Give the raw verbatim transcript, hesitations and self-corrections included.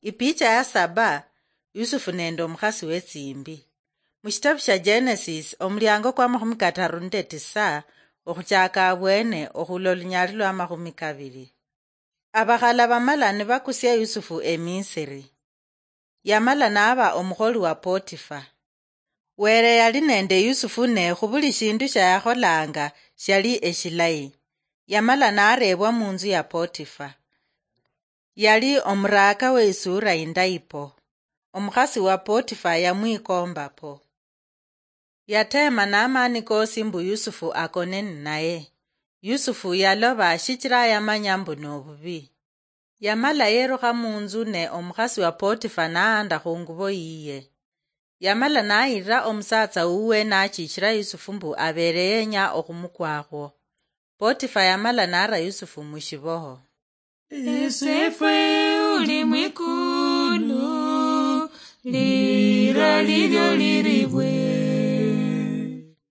Ipicha ya saba, Yusufu nende omukhasi wetsimbi. Mushitabu shia Genesis, omuliango kwa makhumi kataru nende tisa, okhuchaka abwene okhula olunyali lwa makhumi kabiri. Abakhala bamala nibakusia Yusufu eMisiri. Yamala naba omukholi wa Potifa. Were yali nende Yusufu ne khubuli shindu shiayakholanga shiali eshilayi. Yamala narebwa munzu ya Potifa. Yali omuraka weisura indayi po. Omukhasi wa Potifa yamwikomba po. Yateema n'amaani koosi mbu Yusufu akone ninaye. Yusufu yaloba shichira yamanya mbu nobubi. Yamala yerukha munzu ne omukhasi wa Potifa naanda khungubo yiye. Yamala nayirira omusatsa wuwe nachichira Yusufu mbu abere yenya okhumukwakhwo. Potifa yamala nara Yusufu mushiboho. Esefwe uli mwikulu, lira lilyo liribwe.